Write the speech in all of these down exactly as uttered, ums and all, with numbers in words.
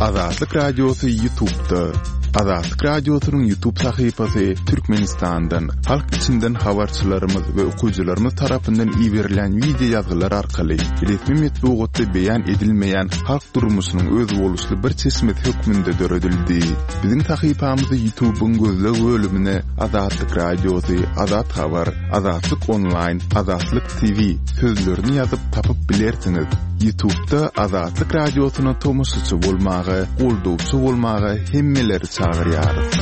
Azatlyk Radiosy YouTube'da. Azatlyk Radiosynyň YouTube sahypasy Türkmenistandan, halk içinden habarçylarymyz we okyjylarymyz tarapyndan iberilen wideo ýazgylar arkaly resmi metbugatda beýan edilmeýän halk durmuşynyň özboluşly bir çeşmesi hökmünde döredildi. Biziň sahypamyzy YouTube'yň gözleg bölümine Azatlyk Radiosy, Azat Habar, Azatlyk Online, Azatlyk T V sözlerini ýazyp tapyp bilersiňiz. YouTube'da Azatlyk Radiosyna tomaşaçy bolmaga, goldawçy bolmaga hemmeleri çagyrýarys.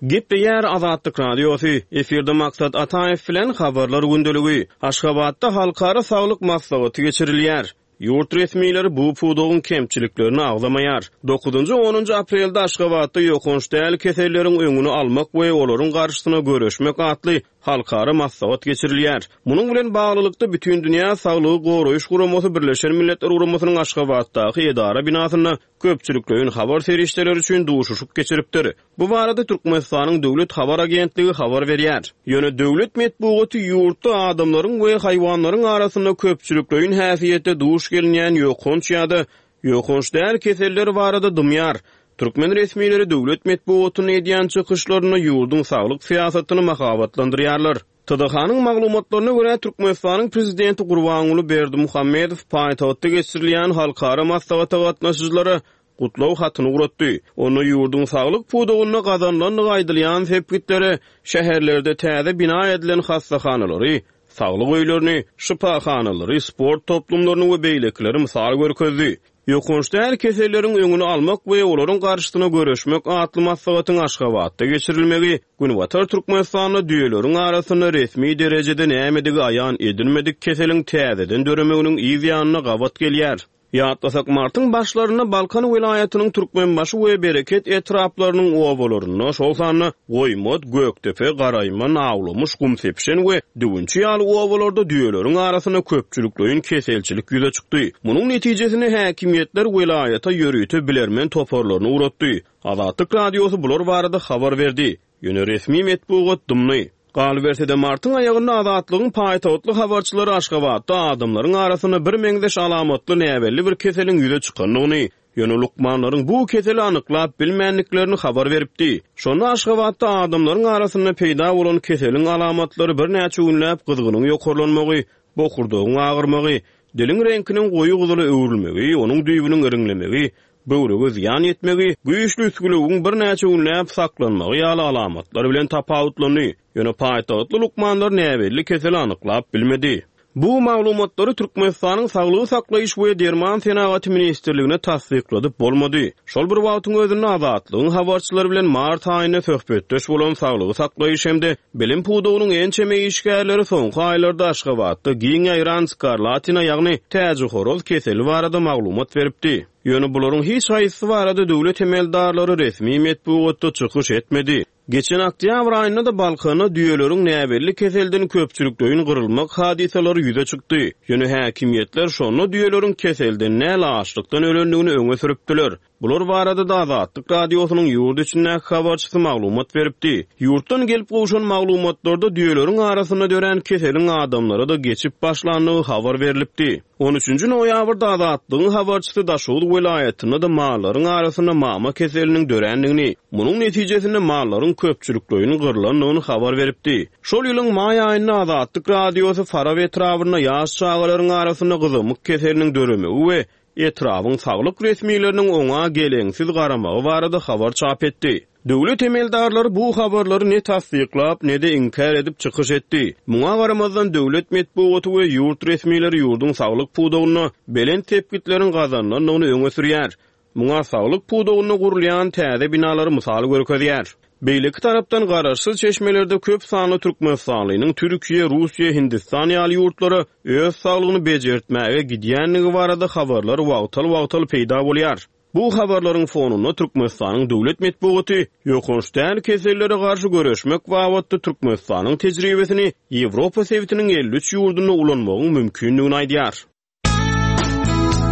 Gepleýär Azatlyk Radiosy. Efirde Maksat Ataýew bilen habarlar gündeligi. Aşgabatda halkara saglyk maslahaty geçirilýär. Ýurt resmileri bu pudagyň kemçiliklerini agzamaýar. Dokuzynjy onunjy aprelde Aşgabatda ýokanç däl keselleriň öňüni almak we olaryň garşysyna göreşmek atly halkara maslahat geçirilýär. Munuň bilen baglylykda Bütindünýä Saglygy Goraýyş Guramasy Birleşen Milletler Guramasynyň Aşgabatdaky edara binasynda köpçülikleýin habar serişdeleri üçin duşuşyk geçiripdir. Bu barada Türkmenistanyň Döwlet Habar Agentligi habar berýär. Ýöne döwlet metbugaty ýurtda adamlaryň we haýwanlaryň arasynda köpçülikleýin häsiýetde duş gelinýän ýokanç ýa-da ýokanç däl keseller barada dymýar. Türkmen resmileri döwlet metbugatyny edýän çykyşlarynda ýurduň saglyk syýasatyny mahabatlandyrýarlar. T D H-nyň maglumatlaryna görä Türkmenistanyň prezidenti Gurbanguly Berdimuhamedow paýtagtda geçirilýän halkara maslahata gatnaşyjylara gutlag hatyny ugratdy. Onda ýurduň saglyk pudagynda gazanylandygy aýdylýan sepgitlere şäherlerde täze bina edilen hastahanalary, saglyk öýlerini, şypahanalary, sport toplumlaryny we beýlekileri mysal görkezdi. Ýokanç däl keselleriň öňüni almak we olaryň garşysyna göreşmek atly maslahatyň Aşgabatda geçirilmegi Günbatar Türkmenistanda düýeleriň arasynda resmi derejede nämedigi aýan edilmedik keseliň täzeden döremeginiň yz ýanyna gabat gelýär. Ýatlasak martyň başlarynda Balkan welaýatynyň Türkmenbaşy we Bereket etraplarynyň obalarynda, şol sanda Goýmat, Gökdepe, Garaýman, Awlamyş, Gumsepşen we Düwünçi ýaly obalarda düýeleriň arasynda köpçülikleýin keselçilik ýüze çykdy. Munuň netijesinde häkimiýetler welaýata ýörite bilermen toparlaryny ugratdy. Azatlyk Radiosy bular barada habar berdi. Ýöne resmi metbugat dymdy. Galyberse-de martyň aýagynda Azatlygyň paýtagtly habarçylary Aşgabatda adamlaryň arasynda bir meňzeş alamatly näbelli bir keseliň ýüze çykandygyny, ýöne lukmanlaryň bu keseli anyklap bilmändiklerini habar beripdi. Şonda Aşgabatda adamlaryň arasynda peýda bolan keseliň alamatlary birnäçe günläp gyzgynyň ýokarlanmagy, bokurdagyň agyrmagy, diliň reňkiniň goýy gyzyla öwrülmegi, onuň düýbüniň iriňlemegi, böwrege zyýan ýetmegi, güýçli üsgülewügiň birnäçe günläp saklanmagy ýaly alamatlar bilen tapawutlandy. Ýöne paýtagtly lukmanlar näbelli keseli anyklap bilmedi. Bu maglumatlary Türkmenistanyň Saglygy saklaýyş we Derman senagaty ministrligine tassykladyp bolmady. Şol bir wagtyň özünde Azatlygyň habarçylary bilen mart aýynda söhbetdeş bolan saglygy saklaýyş hem-de bilim pudagynyň ençeme işgärleri soňky aýlarda Aşgabatda giň ýaýran skarlatina, ýagny täjihoroz keseli barada maglumat beripdi. Ýöne bularyň hiç haýsy barada döwlet emeldarlary resmi metbugatda çykyş etmedi. Geçen oktýabr aýynda da Balkanda düýeleriň näbelli keselden köpçülikleýin gyrylmak hadysalary ýüze çykdy. Ýöne häkimiýetler şonda düýeleriň keselden näl açlykdan ölendigini öňe sürüpdiler. Bular barada da Azatlyk Radiosynyň ýurt içindäki habarçysy maglumat beripdi. Ýurtdan gelip gowşan maglumatlarda düýeleriň arasynda dörän keseliň adamlara da geçip başlandygy habar berilipdi. on üçünji noýabrda Azatlygyň habarçysy Daşoguz welaýatynda da mallaryň arasynda mama keseliniň dörändigini, munuň netijesinde mallaryň köpçülikleýin gyrlandygyny habar beripdi. Şol ýylyň maý aýynda Azatlyk Radiosy Farap etrabynda ýaş çagalaryň arasynda gyzamyk keseliniň döremegi we etrabyň saglyk resmileriniň oňa geleňsiz garamagy barada habar çap etdi. Döwlet emeldarlary bu habarlary ne tassyklap, ne de inkär edip çykyş etdi. Muňa garamazdan döwlet metbugaty we ýurt resmileri ýurduň saglyk pudagynda belent tepkitleriň gazanylandygyny öňe sürýär. Muňa saglyk pudagynda gurulýan täze binalary mysal görkezýär. Beýleki tarapdan garaşsyz çeşmelerde köp sanly Türkmenistanlynyň Türkiýe, Russiýa, Hindistan ýaly ýurtlara öz saglygyny bejertmäge gidýändigi barada habarlar wagtal-wagtal peýda bolýar. Bu habarlaryň fonunda Türkmenistanyň döwlet metbugaty ýokanç däl kesellere garşy göreşmek babatda Türkmenistanyň tejribesini Ýewropa sebitiniň elli üç ýurdunda ulanmagyň mümkindigini aýdýar.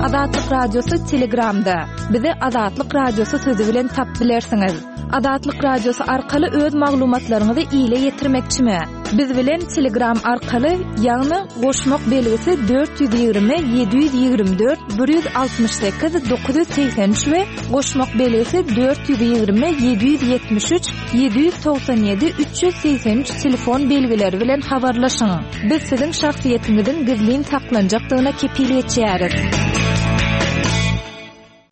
Azatlyk Radiosy Telegramda. Bizi Azatlyk Radiosy sözü bilen tap bilersiňiz. Azatlyk Radiosy arkaly öz maglumatlaryňyzy ile ýetirmekçimi? Biz bilen Telegram arkaly, ýagny goşmak belgisi dört ýüz ýigrimi ýedi ýüz ýigrimi dört bir ýüz altmyş sekiz dokuz ýüz segsen üç we goşmak belgisi dört ýüz ýigrimi ýedi ýüz ýetmiş üç ýedi ýüz togsan ýedi üç ýüz segsen üç telefon belgileri bilen habarlaşyň. Biz siziň şahsyýetiňiziň gizlin saklanjakdygyna kepil geçýäris.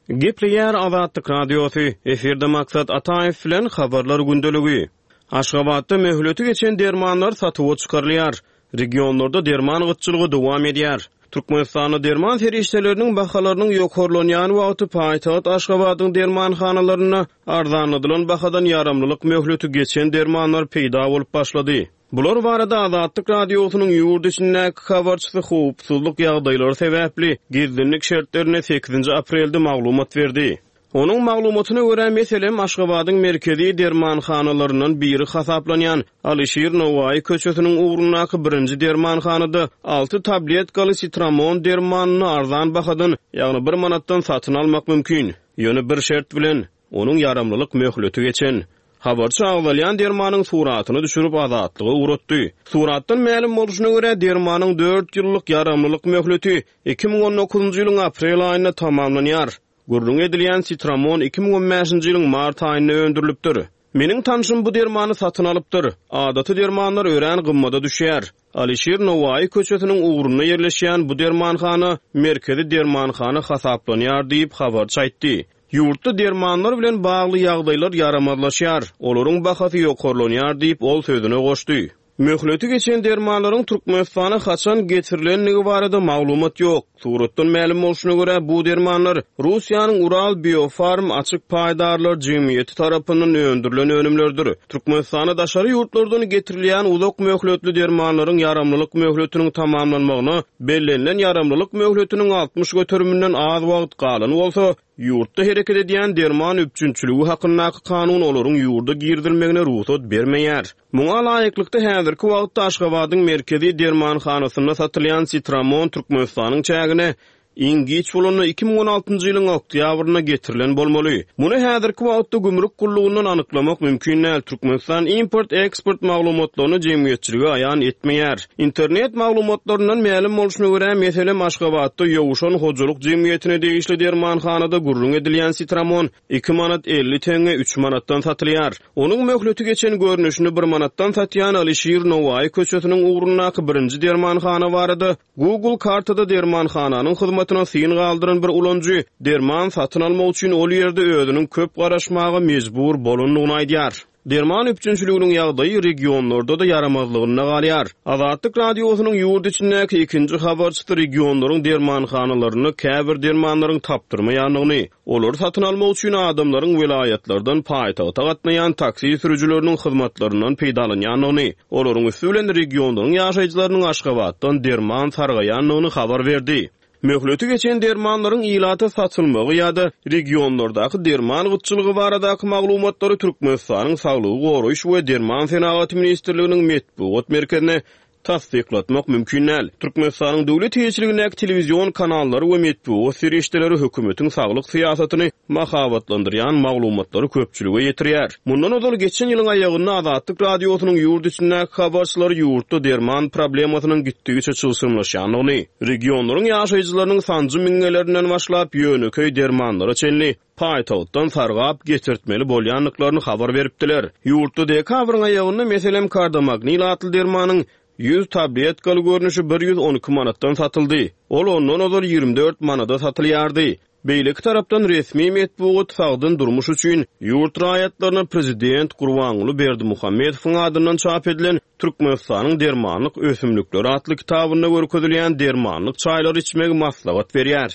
Gepleýär Azatlyk Radiosy, efirde Maksat Ataýew bilen habarlar gündeligi. Aşgabatda möhleti geçen dermanlar satuwa çykarylýar. Regionlarda derman gytçylygy dowam edýär. Türkmenistanda derman serişdeleriniň bahalarynyň ýokarlanýan wagty paýtagt Aşgabadyň dermanhanalarynda arzanladylan bahadan ýaramlylyk möhleti geçen dermanlar peýda bolup başlady. Bular barada Azatlyk Radiosynyň ýurt içindäki habarçysy howpsuzlyk ýagdaýlary sebäpli gizlinlik şertlerinde sekizinji aprelde maglumat berdi. Onuň maglumatyna görä, meselem, Aşgabadyň merkezi dermanhanalaryndan biri hasaplanýan Alişir Nowaýy köçesiniň ugrundaky birinji dermanhanada alty tabletkaly sitramon dermanyny arzan bahadan, ýagny bir manatdan satyn almak mümkin. Ýöne bir şert bilen, onuň ýaramlylyk möhleti geçen. Habarçy agzalýan dermanyň suratyny düşürip Azatlyga ugratdy. Suratdan mälim bolşuna görä, dermanyň dört ýyllyk ýaramlylyk möhleti iki müň on dokuzynjy ýylyň aprel aýynda tamamlanýar. Gürrüň edilýän sitramon iki müň on bäşinji ýylyň mart aýynda öndürilipdir. Meniň tanşym bu dermany satyn alypdyr. Adaty dermanlar örän gymmada düşýär. Alişir Nowaýy köçesiniň ugrunda ýerleşýän bu dermanhana merkezi dermanhana hasaplanýar diýip habarçy aýtdy. Ýurtda dermanlar bilen bagly ýagdaýlar ýaramazlaşýar, olaryň bahasy ýokarlanýar diýip ol sözüne goşdy. Möhleti geçen dermanlaryň Türkmenistana haçan getirilendigi barada maglumat ýok. Suratdan mälim bolşuna görä, bu dermanlar Russiýanyň Ural Biofarm açyk paýdarlar jemgyýeti tarapyndan öndürilen önümlerdir. Türkmenistana daşary ýurtlardan getirilýän uzak möhletli dermanlaryň ýaramlylyk möhletiniň tamamlanmagyna bellenilen ýaramlylyk möhletiniň altmyş göteriminden az wagt galan bolsa, ýurtda hereket edýän derman üpjünçiligi hakyndaky kanun olaryň ýurda girizilmegine rugsat bermeýär. Muňa laýyklykda häzirki wagtda Aşgabadyň merkezi dermanhanasynda satylýan sitramon Türkmenistanyň çägine iň giç bolanda iki müň on altynjy ýylyň oktýabrynda getirilen bolmaly. Muny häzirki wagtda gümrük gullugyndan anyklamak mümkin däl. Türkmenistan import-eksport maglumatlaryny jemgyýetçilige aýan etmeýär. Internet maglumatlaryndan mälim bolşuna görä, meselem, Aşgabatda ýowşan hojalyk jemgyýetine degişli dermanhanada gürrüň edilýän sitramon iki manat elli teňňe üç manatdan satylýar. Onuň möhleti geçen görnüşini bir manatdan satýan Alişir Nowaýy köçesiniň ugrundaky birinji dermanhana barada Google kartada dermanhananyň hyzmatyna syn galdyran bir ulanyjy derman satyn almak üçin ol ýerde özüniň köp garaşmaga mejbur bolandygyny aýdýar. Derman üpjünçiliginiň ýagdaýy regionlarda-da ýaramazlygynda galýar. Azatlyk Radiosynyň ýurt içindäki ikinji habarçysy regionlaryň dermanhanalarynda käbir dermanlaryň tapdyrmaýandygyny, olary satyn almak üçin adamlaryň welaýatlardan paýtagta gatnaýan taksi sürüjileriniň hyzmatlaryndan peýdalanýandygyny, olaryň üsti bilen regionlaryň ýaşaýjylarynyň Aşgabatdan derman sargaýandygyny habar berdi. Möhleti geçen dermanlaryň ilata satylmagy ýa-da regionlardaky derman gytçylygy baradaky maglumatlary Türkmenistanyň Saglygy goraýyş we Derman senagaty ministrliginiň metbugat merkezine tassyklatmak mümkin däl. Türkmenistanyň döwlet eýeçiligindäki telewizion kanallary we metbugat serişdeleri hökümetiň saglyk syýasatyny mahabatlandyrýan maglumatlary köpçülige ýetirýär. Mundan ozal geçen ýylyň aýagynda Azatlyk Radiosynyň ýurt içindäki habarçylary ýurtda derman problemasynyň gitdigiçe çylşyrymlaşýandygyny, regionlaryň ýaşaýjylarynyň sanjy mingelerinden başlap ýönekeý dermanlara çenli paýtagtdan sargap getirtmeli bolýandyklaryny habar beripdiler. Ýurtda dekabryň aýagynda meselem Kardomagnil atly dermanyň ýüz tabletkaly görnüşi bir ýüz on iki manatdan satyldy. Ol ondan ozal ýigrimi dört manada satylýardy. Beýleki tarapdan resmi metbugat sagdyn durmuş üçin ýurt raýatlaryna prezident Gurbanguly Berdimuhamedowyň adyndan çap edilen Türkmenistanyň dermanlyk ösümlikleri atly kitabynda görkezilýän dermanlyk çaýlary içmegi maslahat berýär.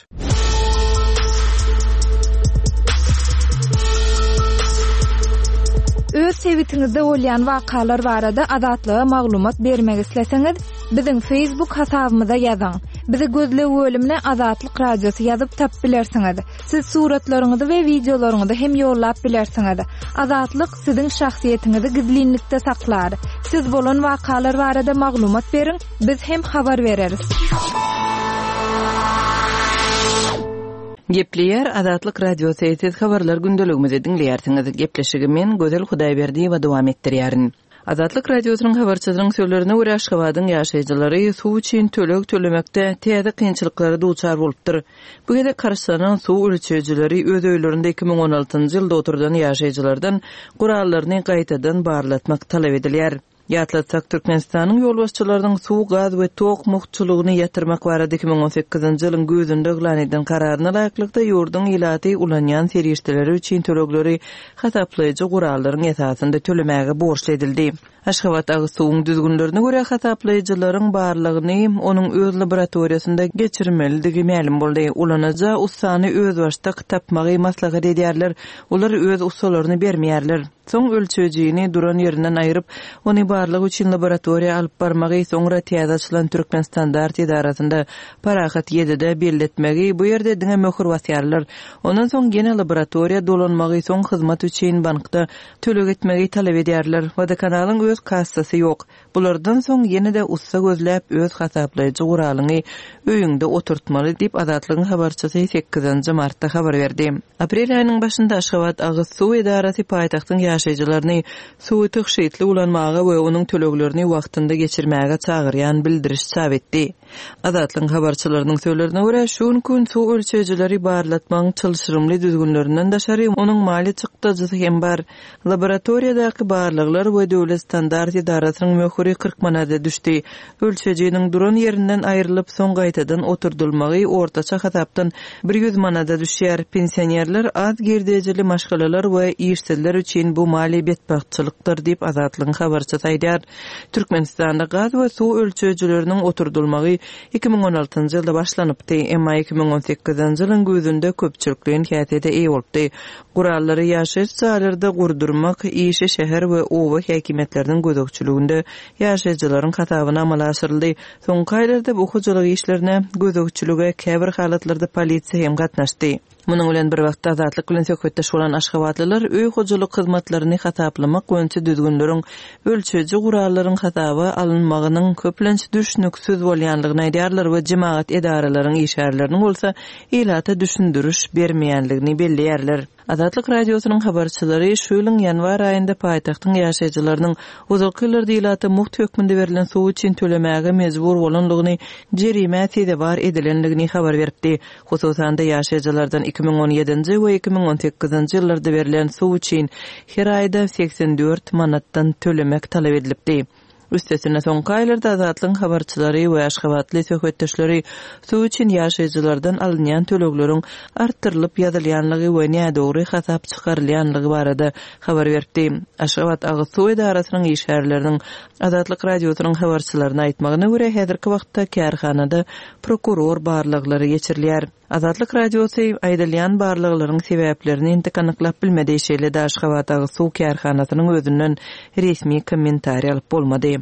Öz sebitiňizde bolýan wakalar barada Azatlyga maglumat bermek isleseňiz, biziň Facebook hasabymyza ýazyň. Bizi gözleg bölümine Azatlyk Radiosy ýazyp tap bilersiňiz. Siz suratlaryňyzy we wideolaryňyzy hem ýollap bilersiňiz. Azatlyk siziň şahsyýetiňizi gizlinlikde saklar. Siz bolan wakalar barada maglumat beriň, biz hem habar bereris. Gepleýär Azatlyk Radiosy, siz habarlar gündeligimizi diňleýärsiňiz. Gepleşigi men Gözel Hudaýberdiýewa dowam etdirýärin. Azatlyk Radiosynyň habarçysynyň sözlerine görä, Aşgabadyň ýaşaýjylary suw üçin töleg tölemekde täze kynçylyklara duçar bolupdyr. Bu gezek harçlanan suw ölçeýjileri öz öýlerinde iki müň on altynjy ýylda oturdan ýaşaýjylardan gurallaryny gaýtadan barlatmak talap edilýär. Ýatlatsak, Türkmenistanyň ýolbaşçylarynyň suw, gaz we tok mugtçulygyny ýatyrmak barada iki müň on sekizinji ýylyň güýzünde yglan eden kararyna laýyklykda, ýurduň ilaty ulanýan serişdeleri üçin tölegleri hasaplaýjy gurallaryň esasynda tölemäge borçly edildi. Aşgabat agyz suwuň düzgünlerine görä hasaplaýjylaryň barlygyny onuň öz laboratoriýasynda geçirmelidigi mälim boldy. Ulanyja ussany özbaşdak tapmagy maslahat edýärler. Olar öz ussalaryny bermeýärler. Soň ölçejini duran ýerinden aýryp, ony barlyk üçin laboratoriýa alyp barmagy, soňra täze açylan Türkmen standart edarasynda Parahat ýedide belletmegi, bu ýerde diňe möhür basýarlar. Ondan soň ýene laboratoriýa dolanmagy, soň hyzmat üçin bankda töleg etmegi talap edýärler. Wodokanalyň öz kassasy ýok. Bulardan soň ýene-de ussa gözläp, öz hasaplaýjy guralyňy öýüňde oturtmaly diýip Azatlygyň habarçysy sekizinji martda habar berdi. Aprel aýynyň başynda Aşgabat agyz suw edarasy paýtagtyň ýaşaýjylaryny suwy tygşytly ulanmaga we onuň töleglerini wagtynda geçirmäge çagyrýan bildiriş çap etdi. Azatlygyň habarçylarynyň sözlerine görä, şu günki gün suw ölçeýjileri barlatmagyň çylşyrymly düzgünlerinden daşary onuň maliýe çykdajysy hem bar. Laboratoriýadaky barlaglar we döwlet standart edarasynyň möhüri kyrk manada düşdi. Ölçejiniň duran ýerinden aýrylyp, soň gaýtadan oturdylmagy ortaça hasapdan bir ýüz manada düşýär. Pensionerler, az girdejili maşgalalar we işsizler üçin bu maliýe betbagtçylykdyr diýip Azatlygyň habarçysy aýdýar. Türkmenistanda gaz we suw ölçeýjileriniň oturdylmagy iki müň on altynjy ýylda başlanypdy, emma iki müň on sekizinji ýylyň güýzünde köpçülikleýin häsiýete eýe bolupdy. Gurallary ýaşaýyş jaýlarda gurdurmak işi şäher we oba häkimiýetleriniň gözegçiliginde ýaşaýjylaryň hasabyna amala aşyryldy. Soňky aýlarda bu hojalyk işlerine gözegçilige käbir halatlarda polisiýa hem gatnaşdy. Munuň bilen bir wagtda Azatlyk bilen söhbetdeş bolan aşgabatlylar öý hojalyk hyzmatlaryny hasaplamak boýunça düzgünleriň ölçeýji gurallaryň hasaba alynmagynyň köplenç düşnüksiz bolýanlygyny aýdýarlar we jemagat edaralaryň işgärleriniň bolsa ilata düşündiriş bermeýänligini belleýärler. Azatlyk Radiosynyň habarçylary şu ýylyň ýanwar aýynda paýtagtyň ýaşaýjylarynyň uzak ýyllarda ilata mugt hökmünde berlen suw üçin tölemäge mejbur bolanlygyny, jerimä sezewar edilenligini habar beripdi. Hususan-da ýaşaýjylardan iki müň on ýedinji we iki müň on sekizinji ýyllarda berlen suw üçin her aýda seksen dört manatdan tölemek talap edilipdi. Üstesine soňky aýlarda Azatlygyň habarçylary we Aşgabatly söhbetdeşleri suw üçin ýaşaýjylardan alynýan tölegleriň artdyrylyp ýazylýanlygy we nädogry hasap çykarylýanlygy barada habar beripdi. Aşgabat agyz suw edarasynyň işgärleriniň Azatlyk Radiosynyň habarçylaryna aýtmagyna görä, häzirki wagtda kärhanada prokuror barlaglary geçirilýär. Azatlyk Radiosy aýdylýan barlaglaryň sebäplerini entek anyklap bilmedi. Şeýle-de Aşgabat agyz suw kärhanasynyň özünden resmi kommentariý alyp bolmady.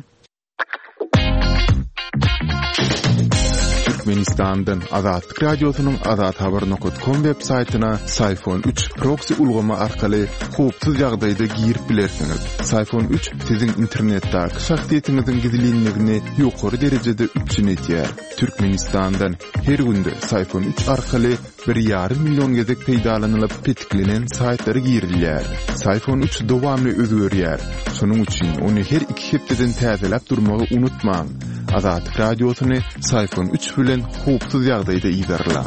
Türkmenistandan Azatlyk Radiosynyň azathabar nokta com web saýtyna Syfon üç proxy ulgamy arkaly howpsuz ýagdaýda girip bilersiňiz. Syfon üç siziň internetdäki şahsyýetiňiziň gizlinligini ýokary derejede üpjün edýär. Türkmenistandan her günde Syfon üç arkaly bir ýarym milyon gezek peýdalanylyp petiklenen saýtlara girilýär. Syfon üç dowamly özgerýär. Şonuň üçin ony her iki hepdeden täzeläp durmagy unutmaň. Azatlyk Radiosyny Syfon üç bilen howpsuz ýagdaýda ýerleň.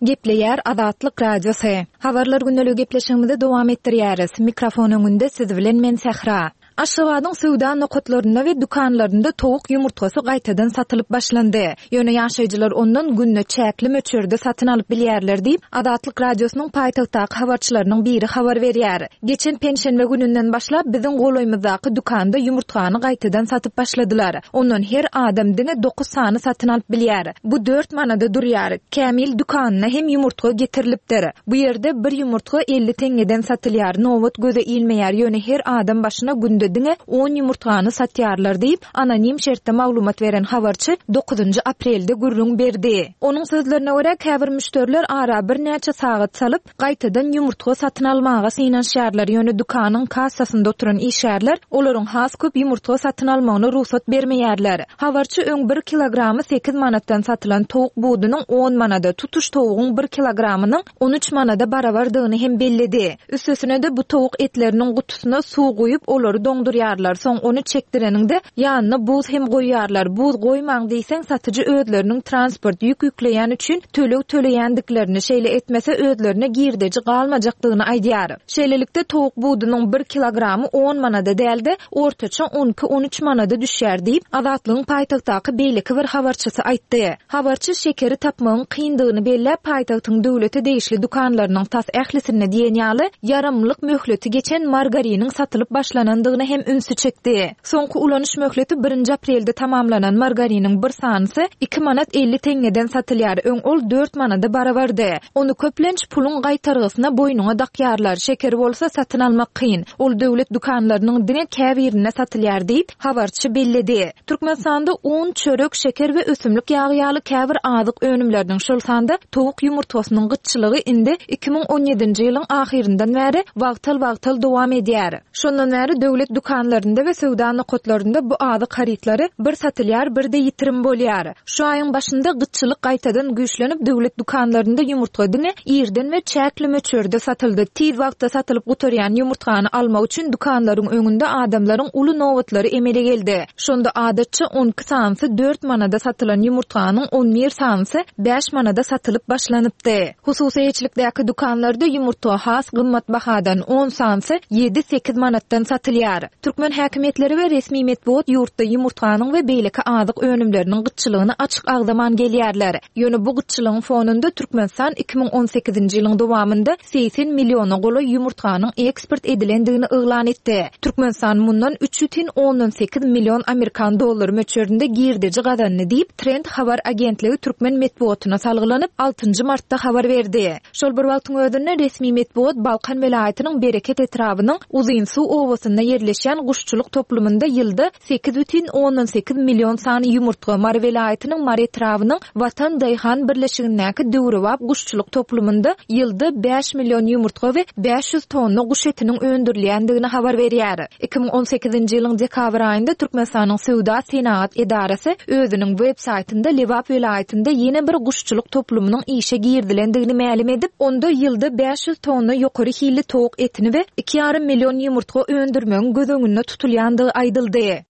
Gepleýär Azatlyk Radiosy. Habarlar gündelik gepleşigimizi dowam etdirýäris. Mikrofon öňünde siz bilen men Sähra. Aşgabadyň söwda nokatlarynda we dükanlarynda towuk ýumurtgasy gaýtadan satylyp başlandy. Ýöne ýaşaýjylar ondan günde çäkli möçberde satyn alyp bilýärler diýip, Azatlyk Radiosynyň paýtagtdaky habarçylarynyň biri habar berýär. Geçen penşenbe gününden başlap biziň golaýymyzdaky dükanda ýumurtgany gaýtadan satyp başladylar. Ondan her adam diňe dokuz sany satyn alyp bilýär. Bu dört manada durýar. Kämil dükanyna hem ýumurtga getirilipdir. Bu ýerde bir ýumurtga elli teňňeden satylýar. Nobat göze ilmeýär. Ýöne her adam başyna günde günde diňe on ýumurtgany satýarlar diýip, anonim şertde maglumat beren habarçy dokuzynjy aprelde gürrüň berdi. Onuň sözlerine görä, käbir müşderiler ara birnäçe sagat salyp, gaýtadan ýumurtga satyn almaga synanyşýarlar. Ýöne dükanyň kassasynda oturan işgärler olaryň has köp ýumurtga satyn almagyna rugsat bermeýärler. Habarçy öň bir kilogramy sekiz manatdan satylan towuk budunyň on manada, tutuş towugyň bir kilogramynyň on üç manada barabardygyny hem belledi. Üstesine de bu towuk etleriniň gutusyna suw guýup olary doňdurýarlar. Soň ony çekdireniňde ýanyna buz hem goýýarlar. Buz goýmaň diýseň satyjy özleriniň transport ýük ýükleýän üçin töleg töleýändiklerini, şeýle etmese özlerine girdeji galmajakdygyny aýdýar. Şeýlelikde towuk budunyň bir kilogramy on manada dälde ortaça on iki on üç manada düşýär diýip, Azatlygyň paýtagtdaky beýleki bir habarçysy aýtdy. Habarçy şekeri tapmagyň kyndygyny belläp, paýtagtyň döwlete degişli dükanlarynyň tas ählisinde diýen ýaly ýaramlyk möhleti geçen margariniň satylyp başlanandygyny hem ünsi çekdi. Soňky ulanyş möhleti birinji aprelde tamamlanan margariniň bir sanysy iki manat elli teňňeden satylýar. Öň ol dört manada barabardy. Ony köplenç puluň gaýtargysyna boýnuňa dakýarlar. Şeker bolsa satyn almak kyn. Ol döwlet dükanlarynyň diňe käbirinde satylýar diýip, habarçy belledi. Türkmenistanda un, çörek, şeker we ösümlik ýagy ýaly käbir azyk önümleriniň, şol sanda towuk ýumurtgasynyň gytçylygy indi iki müň on ýedinji ýylyň ahyryndan bäri wagtal-wagtal dowam edýär. Şondan bäri döwlet dükanlarynda we söwda nokatlarynda bu azyk harytlary bir satylýar, bir de ýitirim bolýar. Şu aýyň başynda gytçylyk gaýtadan güýçlenip, döwlet dükanlarynda ýumurtga diňe irden we çäkli möçberde satyldy. Tiz wagtda satylyp gutarýan ýumurtgany almak üçin dükanlaryň öňünde adamlaryň uly nobatlary emele geldi. Şonda adatça on iki sanysy dört manada satylan ýumurtganyň on bir sanysy bäş manada satylyp başlanypdy. Hususy eýeçilikdäki dükanlarda ýumurtga has gymmat bahadan on sanysy ýedi sekiz manatdan satylýar. Türkmen häkimiýetleri we resmi metbugat ýurtda ýumurtganyň we beýleki azyk önümleriniň gytçylygyny açyk agzaman gelýärler. Ýöne bu gytçylygyň fonunda Türkmenistan iki müň on sekizinji ýylyň dowamynda segsen milliona golaý ýumurtganyň eksport edilendigini yglan etdi. Türkmenistan mundan üç bütin ondan sekiz million Amerikan dollary möçberinde girdeji gazandy diýip, Trend habar agentligi türkmen metbugatyna salgylanyp altynjy martda habar berdi. Şol bir wagtyň özünde resmi metbugat Balkan welaýatynyň Bereket etrabynyň Uzynsuw obasynda ýerleşýän guşçulyk toplumynda ýylda sekiz bütin ondan sekiz million sany ýumurtga, Mary welaýatynyň Mary etrabynyň Watan Daýhan birleşigindäki döwrebap guşçulyk toplumynda ýylda bäş million ýumurtga we bäş ýüz tonna guş etiniň öndürilýändigini habar berýär. iki müň on sekizinji ýylyň dekabr aýynda Türkmenistanyň Söwda Senagat edarasy özüniň web saýtynda Lebap welaýatynda ýene bir guşçulyk toplumynyň işe girizilendigini mälim edip, onda ýylda bäş ýüz tonna ýokary hilli towuk etini we iki ýarym million ýumurtga öndürmegiň göz öňünde tutulýandygy aýdyldy.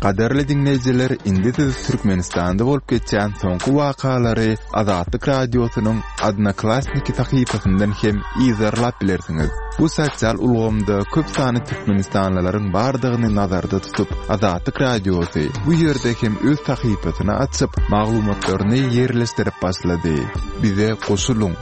Gaderli dinleýjiler, indi siz Türkmenistanda bolup geçen soňky wakalary Azatlyk Radiosynyň Odnoklassniki sahypasyndan hem izarlap bilersiňiz. Bu sosial ulgamda köp sany türkmenistanlylaryň bardygyny nazarda tutup, Azatlyk Radiosy bu ýerde hem öz sahypasyny açyp, maglumatlaryny ýerleşdirip başlady. Bize goşulyň.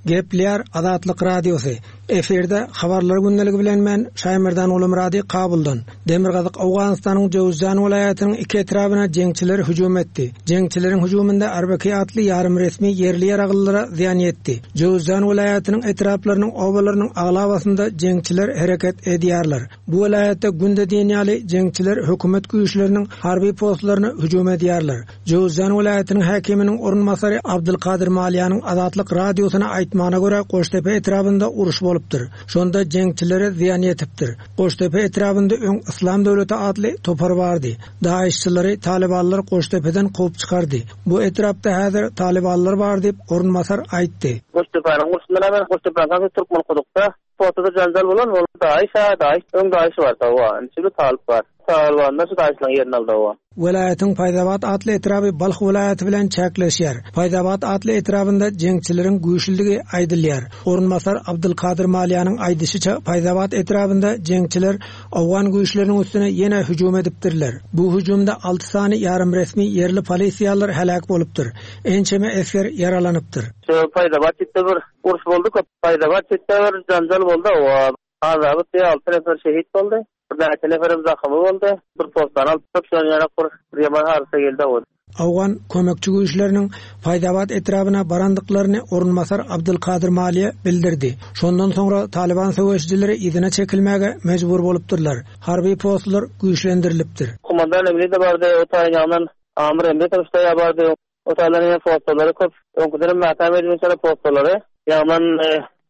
Gepler Azatlyk Radiosy. Efirde habarlar gündeligi bilen men Şaýmerdan Gulumyrady Kabuldan. Demirgazyk Owganystanyň Jowzjan welaýatynyň iki etrabyna jeňçiler hüjüm etdi. Jeňçileriň hüjüminde Arbaki atly ýarym resmi ýerli ýaraglylara zyýan ýetdi. Jowzjan welaýatynyň etraplarynyň obalarynyň aglabasynda jeňçiler hereket edýärler. Bu welaýatda günde diýen ýaly jeňçiler hökümet güýçleriniň harby postlaryna hüjüm edýärler. Jowzjan welaýatynyň häkiminiň orunbasary Abdulkadir Maliýanyň Azatlyk Radiosyna aýtmagyna görä Goştepe etrabynda uruş bolupdyr. Şonda jeňçilere zyýan ýetipdir. Goştepe etrabynda öň Islam döwleti atly topar bardy. Daişçileri Talibanlar Goştepeden kowup çykardy. Bu etrapda häzir Talibanlar bar diýip orunbasar aýtdy. Goştepeniň urşundan hemen Goştepeniň Türkmen kudukda Portada janjal bolan ol Daiş, ha, Daiş, öň Daiş bar, tawa. Şimdi Talip bar. Talibanlar şu Daişlerin yerini aldı o. Welaýatyň Paýzabat atly etraby Balh welaýaty bilen çäkleşýär. Paýzabat atly etrabynda jeňçileriň güýçlüligi aýdylýar. Orunbasar Abdulkadir Maliýanyň aýdyşyça Paýzabat etrabynda jeňçiler Owgan güýçleriniň üstüne ýene hüjüm edipdirler. Bu hüjümde alty sany ýarym resmi ýerli polisiýalar heläk bolupdyr. Ençeme esger ýaralanypdyr. Şu Paýzabat çetde bir uruş boldy, köp Paýzabat çetde bir janjal boldy. O azaby diýe alty nefer şehit boldy. Bir näçe neferem zahymy boldy. Bir postdan alyp tutup, şonuň ýaly bir ýaman hadysa geldi o. Owgan kömekçi güýçleriniň Faýzabat etrabyna barandyklaryny orunbasar Abdulkadir Maliýe bildirdi. Şondan soňra Taliban söweşijileri yzyna çekilmäge mejbur bolupdyrlar. Harby postlar güýçlendirilipdir. Kumandan emri de bardy, o taýyn ýandan Amir emri tarafta bardy. O taýlaryň postlary köp. Öňküden mäkäm edilmiş postlary. Ýagnan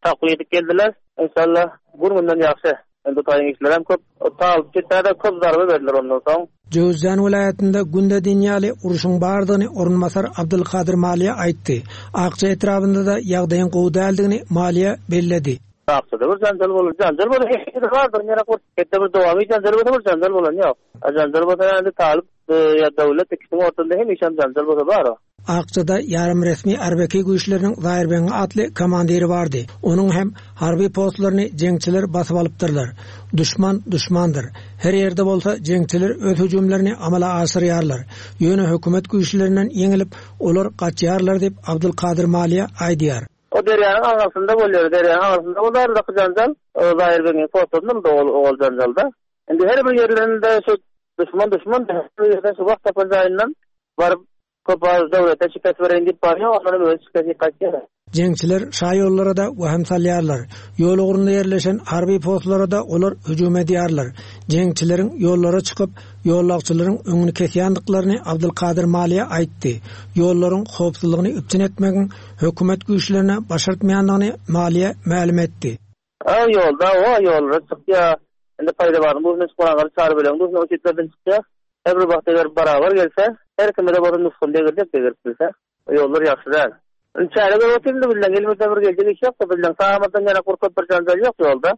takwiýe edip geldiler. Inşallah gün-günden ýagşy. Indi taýyn işler hem köp. O talyp çetde köp zarba berdiler ondan soň. Jöwüzjan welaýatynda günde diýen ýaly uruşyň bardygyny orunbasar Abdulkadir Maliýe aýtdy. Akça etrabynda-da ýagdaýyň gowy däldigini Maliýe belledi. Akçada bir janjal boldy. Janjal boldy, hepsi bardyr, nere kur. Hetde bir dowamy janjal bolsa bir janjal bolan ýok. A janjal bolsa indi talyp e, ýa döwlet ikisiniň ortasynda hemişe janjal bolsa bar o. Akçada ýarym resmi Arbeki güýçleriniň Zaýerbeň atly komandiri bardy. Onuň hem harby postlaryny jeňçiler basyp alypdyrlar. Düşman düşmandyr. Her ýerde bolsa jeňçiler öz hüjümlerini amala aşyrýarlar. Ýöne hökümet güýçlerinden ýeňilip, olar gaçýarlar diýip Abdulkadir Maliýe aýdýar. O derýanyň aňyrsynda bolýar, derýanyň aňyrsynda bolýar da janjal. O Zaýerbeňiň postlarynda ol ol janjalda. Indi her bir ýerlerinde şu düşman düşman her bir ýerde şu wagt tapan jaýyndan baryp köp az döwlete şikes bereýin diýip barýar, ondan öz şikesi gaçýar. Jeňçiler şaýollara da waham salýarlar. Ýol ugrunda ýerleşen harby postlara da olar hüjüm edýärler. Jeňçileriň ýollara çykyp, ýollagçylaryň öňüni kesýändiklaryny Abdulkadir Maliýe aýtdy. Ýollaryň howpsuzlygyny üpjün etmegiň hökümet güýçlerine başartmaýandygyny Maliýe mälim etdi. A ýolda o ýollara çykýar. Indi paýda baryn, bu çykanlar çary bilen bu o çetlerden çykýar. Her bir wagt eger barabar gelse, her kime de bolsa nusgany degirjek degirip bilse, o ýollar ýagşy däl. Indi çäre görüp otyryn bilen gelmese bir geljek iş ýok, bilen sağamadan ýana korkup bir janjal ýok ýolda.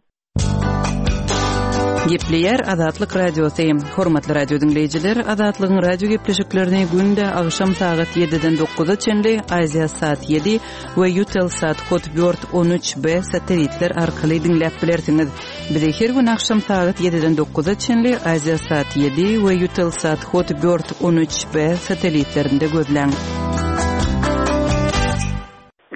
Gepleýär Azatlyk Radiosy. Hormatly radio diňleýjiler, Azatlygyň radio gepleşiklerini günde agşam sagat ýediden dokuza çenli Aziýa saat ýedi we Eutelsat Hotbird on üç B satellitler arkaly diňläp bilersiňiz. Bizi her gün agşam sagat ýediden dokuza çenli Aziýa saat ýedi we Eutelsat Hotbird on üç B satellitlerinde gözläň.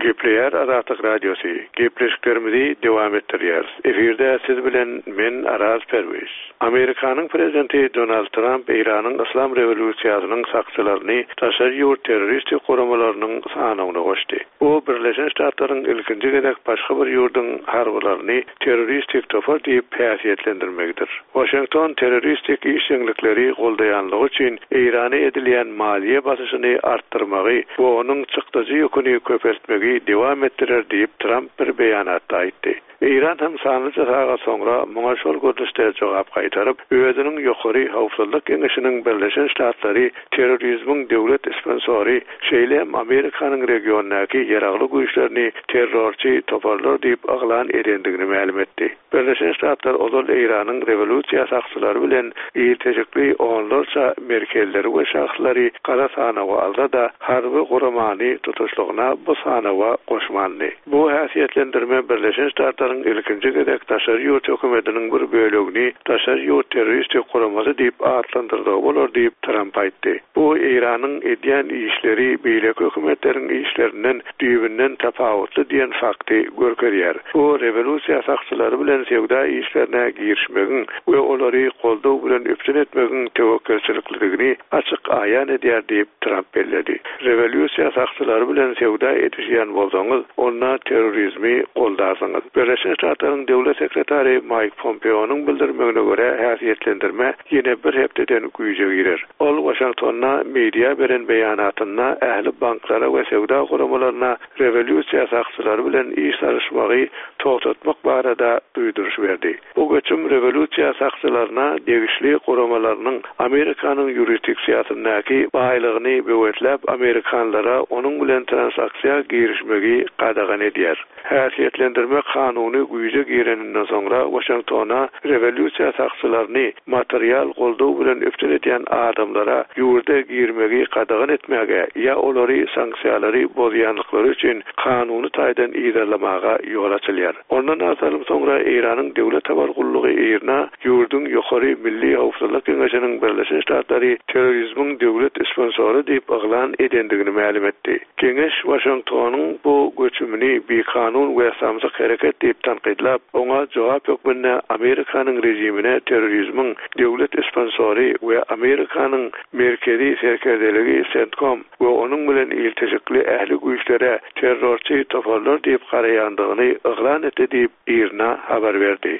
Gepleýär Azatlyk Radiosy. Gepleşiklerimizi dowam etdirýäris. Efirde siz bilen men Araz Perwiz. Amerikanyň prezidenti Donald Trump Eýranyň Islam rewolýusiýasynyň sakçylaryny daşary ýurt terroristik guramalarynyň sanawyna goşdy. Bu Birleşen Ştatlaryň ilkinji gezek başga bir ýurduň harbylaryny terroristik topar diýip häsiýetlendirmegidir. Washington terroristik işjeňlikleri goldaýanlygy üçin Eýrana edilýän maliýe basyşyny artdyrmagy we onuň çykdajy ýüküni köpeltmegi dowam etdirer diýip Trump bir beýanatda aýtdy. Eýran hem sanlyja sagat soňra muňa şol görnüşde jogap gaýtaryp, özüniň ýokary howpsuzlyk geňeşiniň Birleşen Ştatlary terrorizmiň döwlet sponsory, şeýle hem Amerikanyň regiondaky ýaragly güýçlerini terrorçy toparlar diýip yglan edendigini mälim etdi. Birleşen Ştatlar ozal Eýranyň rewolýusiýa sakçylary bilen ilteşikli onlarça merkezleri we şahslary gara sanawa alsa-da, harby guramany tutuşlygyna bu sanawa goşmandy. Bu häsiýetlendirme Birleşen Ştatlaryň ilkinji gezek daşary ýurt hökümetiniň bir bölegini daşary ýurt terroristik guramasy diýip atlandyrdygy bolar diýip Trump aýtdy. Bu Eýranyň edýän işleri beýleki hökümetleriň işlerinden düýbünden tapawutly diýen fakty görkezýär. Bu rewolýusiýa sakçylary bilen söwda işlerine girişmegiň we olary goldaw bilen üpjün etmegiň töwekgelçilikligini açyk aýan edýär diýip Trump belledi. Rewolýusiýa sakçylary bilen söwda edişýän bolsaňyz, onda terrorizmi goldarsyňyz. Birleşen Ştatlaryň döwlet sekretary Mike Pompeo'nyň bildirmegine görä häsiýetlendirme ýene bir hepdeden güýje girer. Ol Washingtonda media beren beýanatynda ähli banklara we söwda guramalaryna rewolýusiýa sakçylary bilen iş salyşmagy togtatmak barada duýduryş berdi. Bu göçüm rewolýusiýa sakçylaryna degişli guramalarynyň Amerikanyň ýurisdiksiýasyndaky baýlygyny böwetläp Amerikanlara onuň bilen transaksiýa girişmegi gadagan edýär. Häsiýetlendirme kanuny güýje gireninden soňra Washingtona rewolýusiýa sakçylaryny material goldaw bilen üpjün edýän adamlara ýurda girmegi gadagan etmäge ýa olary sanksiýalary bozýanlyklary üçin kanuny taýdan yzarlamaga ýol açylýar. Ondan az salym soňra Eýranyň döwlet habar gullugy IRNA ýurduň Ýokary Milli Howpsuzlyk Geňeşiniň Birleşen Ştatlary terrorizmiň döwlet sponsory diýip yglan edendigini mälim etdi. Geňeş Waşingtonyň bu göçümini bikanun we samsyk hereket diýip tankytlap, oňa jogap hökmünde Amerikanyň režimine terrorizmiň döwlet sponsory we Amerikanyň Merkezi serkerdeligi CENTCOM we onuň bilen ilteşikli ähli güýçlere terrorçy toparlar diýip garaýandygyny yglan etdi diýip IRNA habar berdi.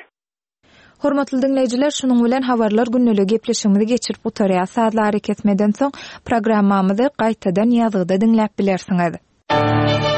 Hormatly diňleýjiler, şunuň bilen habarlar gündeligi gepleşigimizi geçirip gutarýar. Sazly arakesmeden soň programmamyzy gaýtadan ýazgyda diňläp bilersiňiz.